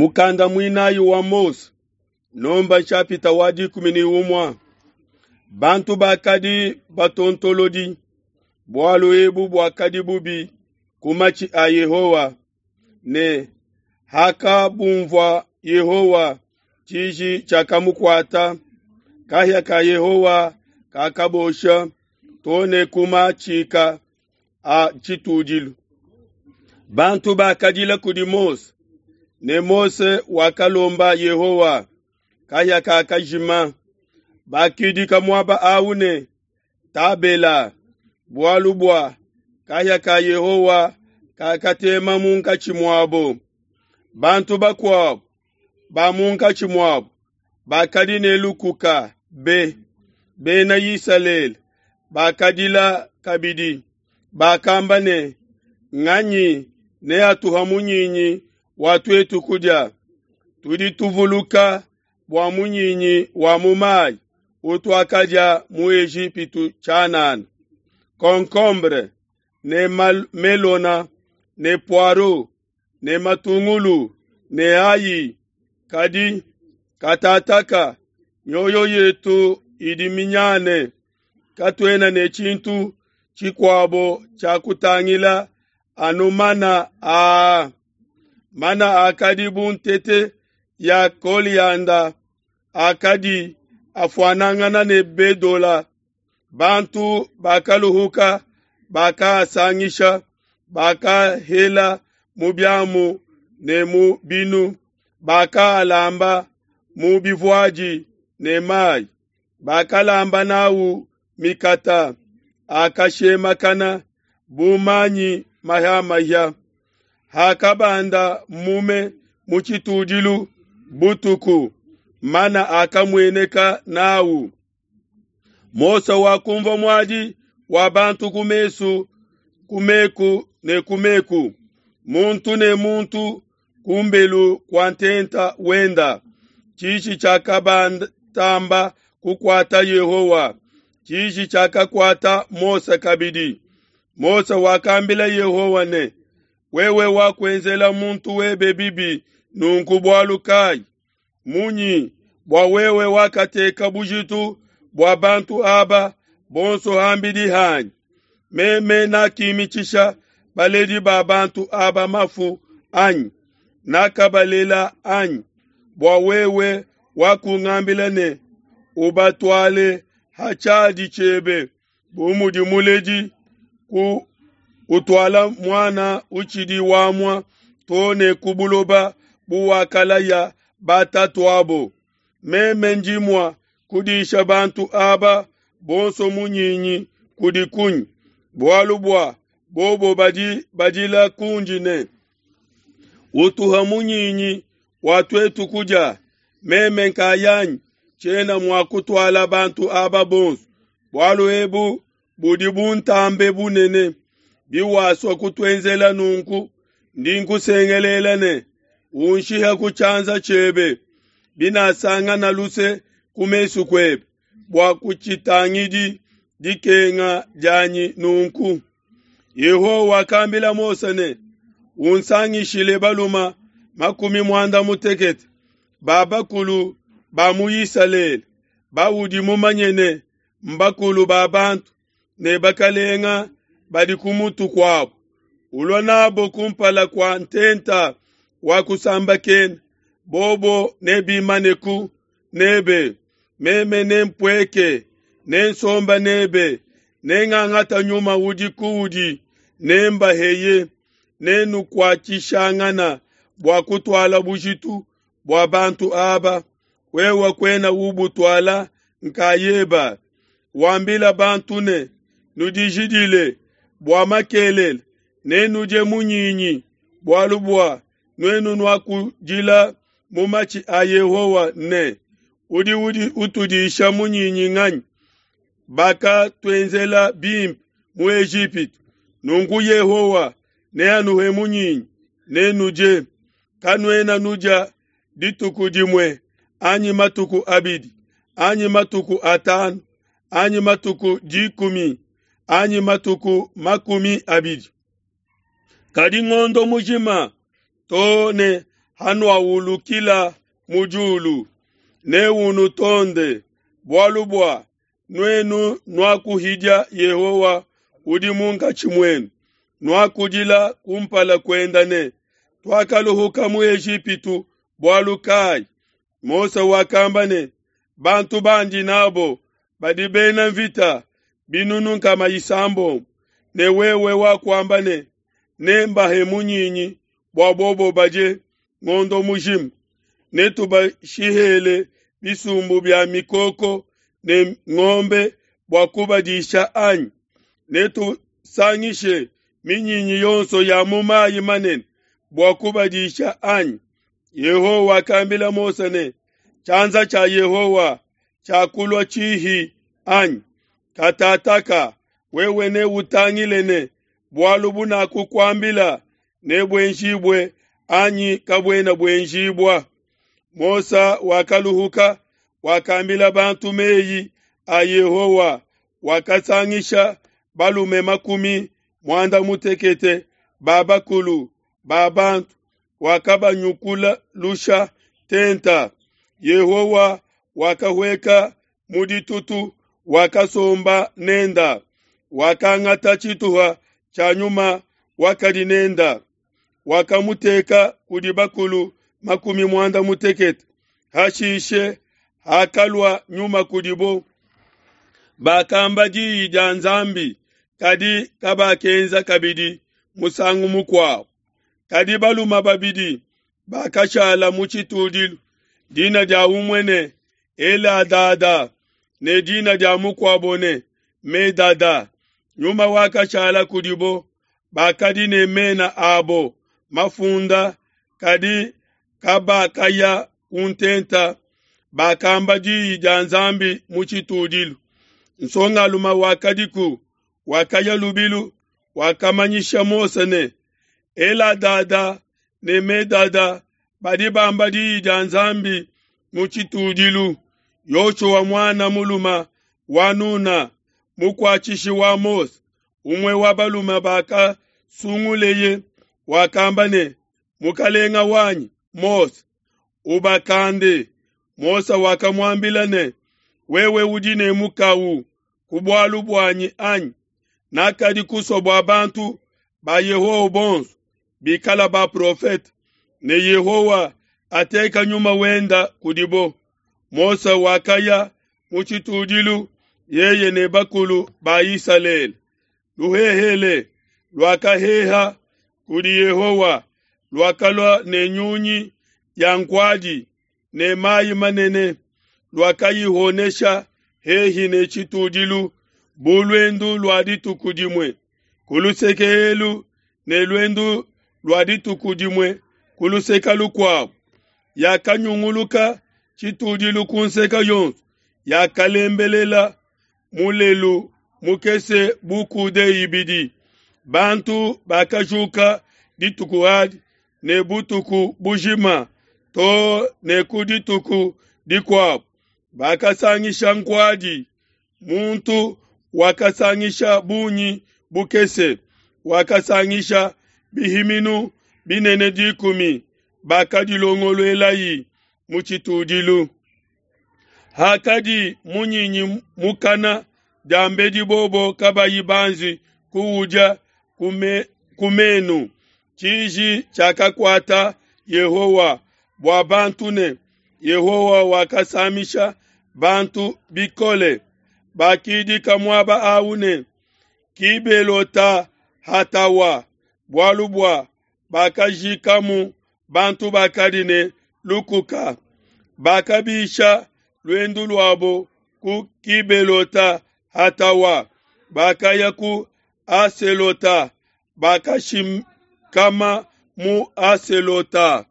Mukanda muinayi wa Mose, Nomba nshapita wa 11. Bantu bakadi batontolodi, bualu ebu buakadi bubi ku matshi a Yehowa, ne hakabumvua Yehowa, tshiji tshiakamukuata, kahia ka Yehowa kakabosha too ne ku matshika a tshitudilu. Bantu bakadila kudi Mose, ne Mose wakalomba Yehowa, kahia kakajima. Bakidika muaba awu ne Tabela, bualu bua kahia ka Yehowa kakatema munkatshi muabo. Bantu bakuabo ba munkatshi muabo bakadi ne lukuka be, Bena Isalele bakadila kabidi, bakamba ne, Nganyi neatuha munyinyi wa tuetu kudia? Tudi tuvuluka bua munyinyi wa mu mayi utuakadia mu Ejipitu tshianana, concombre ne melona ne poireau ne matungulu ne ayi. Kadi katataka mioyo yetu idi minyane, katuena ne tshintu tshikuabo tshia kutangila anu mana aa. Mana akadi bu ntete ya kolianda, akadi afuanangana ne bedola. Bantu bakaluhuka, bakaasangisha, bakahela mu biamu ne mu binu, bakaalamba mu bivuadi ne mayi, bakalamba nawu mikata, akashemakana bu manyi mahiamahia. Hakabanda mume mu tshitudilu butuku, mana akamueneka nawu. Mose wakumvua muadi wa bantu ku mesu ku meku ne ku meku, muntu ne muntu kumbelu kua ntenta wenda. Tshiji tshiakabatamba kukuata Yehowa, tshiji tshiakakuata Mose kabidi. Mose wakambila Yehowa ne, Wewe wakuenzela muntu webe bibi nunku bualu kayi? Munyi bua wewe wakateka bujitu bua bantu aba bonso ham'bidi hanyi? Meme nakimitshisha baledi ba bantu aba mafu anyi? Nakabalela anyi? Bua wewe wakungambila ne, Ubatuale ha tshiadi tshiebe bu mudi muledi ku utuala muana utshidi wamua too ne ku buloba buwakalaya batatuabo. Meme ndi mua kudisha bantu aba bonso munyinyi kudi kunyi? Bualu bua bobo badi badila kundi ne, Utuha munyinyi wa tuetu kudia. Meme nkayanyi tshiena mua kutuala bantu aba bonso, bualu ebu budi buntambe bunene. Biwasua kutuenzela nunku, ndi nkusengelela ne, unshihe ku tshianza tshiebe, binasangana luse ku mesu kuebe, bua kutshitangidi dikenga dianyi nunku. Yehowa wakambila Mose ne, Unsangishile balume 60 ba bakulu ba mu Isalele, baudi mumanye ne mbakulu ba bantu ne bakalenga badi ku mutu kuabo. Ulua nabo kumpala kua ntenta wa kusambakena, bobo nebimaneku nebe. Meme nempueke, nensomba nebe, nengangata nyuma udi kuudi, nembaheye, nenukuatshishangana bua kutuala bujitu bua bantu aba. Wewe kuena ubutuala nkayeba. Wambila bantu ne, Nudijidile bua makelela, nenudie munyinyi, bualu bua nuenu nuakudila mu matshi a Yehowa ne, Udi udi utudisha munyinyi nganyi? Bakatuenzela bimpe mu Ejipitu, nunku Yehowa neanuhe munyinyi, nenudie. Kanuena nudia dituku dimue anyi matuku abidi anyi matuku atanu anyi matuku 10 anyi matuku 20, kadi ngondo mujima too ne hanuawulukila mu diulu, neunutonde, bualu bua nuenu nuakuhidia Yehowa udi munkatshi muenu, nuakudila ku mpala kuenda ne, Tuakaluhuka mu Ejipitu bualu kai? Mose wakamba ne, Bantu bandi n'abo badi bena nvita 600,000, ne wewe wakuamba ne, Nembahe munyinyi bua bobo badie ngondo mujima, netubashihele bisumbu bia mikoko ne ngombe bua kubadisha anyi? Netusangishe minyinyi yonso ya mu mai manene bua kubadisha anyi? Yehowa wakambila Mose ne, Tshianza tshia Yehowa tshiakulua tshihi anyi? Katataka wewe neutangile ne bualu bunakukuambila nebuenjibue anyi kabuena buenjibua. Mose wakaluhuka, wakambila bantu meyi a Yehowa, wakasangisha balume 60 ba bakulu ba bantu, wakabanyukula lusha tenta. Yehowa wakahueka mu ditutu, wakasomba nenda, wakangata tshituha tshia nyuma wakadi nenda, wakamuteka kudi bakulu 60. Hashishe hakalua nyuma kudibo, bakamba diyi dia Nzambi, kadi kabakenza kabidi musangu mukuabo. Kadi balume babidi bakashala mu tshitudilu, dina dia umue ne Eladada ne dina dia mukuabo ne Medada. Nyuma wakashala kudibo, bakadi ne mena abo mafunda, kadi kabakaya ku ntenta, bakamba diyi dia Nzambi mu tshitudilu. Nsongalume wakadiku wakaya lubilu, wakamanyisha Mose ne, Eladada ne Medada badi bamba diyi dia Nzambi mu tshitudilu. Yoshua muana mulume wa Nuna, mukuatshishi wa Mose, umue wa balume bakasunguleye, wakamba ne, Mukalenga wanyi Mose, ubakande. Mose wakamuambila ne, Wewe udi ne mukawu ku bualu buanyi anyi? Nakadi kusua bua bantu ba Yehowa bonso bikala baprofete, ne Yehowa ateka nyuma wenda kudibo. Mose wakaya mu tshitudilu, yeye ne bakulu ba Isalele. Luhehele luakaheha kudi Yehowa, luakalua ne nyunyi ya nkuadi ne mayi manene, luakayihonesha hehi ne tshitudilu bu luendu lua dituku dimue ku luseke elu ne luendu lua dituku dimue ku luseke lukuabo. Yakanyunguluka tshitudilu ku nseke yonso, yakalembelela mulelu mukese bu kude ibidi. Bantu bakajuka dituku adi ne butuku bujima to ne ku dituku dikuabo, bakasangisha nkuadi. Muntu wakasangisha bungi bukese, wakasangisha bihiminu binene 10, bakadilongoluelayi mu tshitudilu. Hakadi munyinyi mukana diambedi bobo kabayi banji kuudia ku menu, tshiji tshiakakuata Yehowa bua bantu ne Yehowa wakasamisha bantu bikole. Bakidika muaba awu ne Kibelota Hatawa, bualu bua bakajikamu bantu bakadi ne lukuka. Bakabisha luendu luabo ku Kibelota Hatawa, bakaya ku Aselota, bakashikama mu Aselota.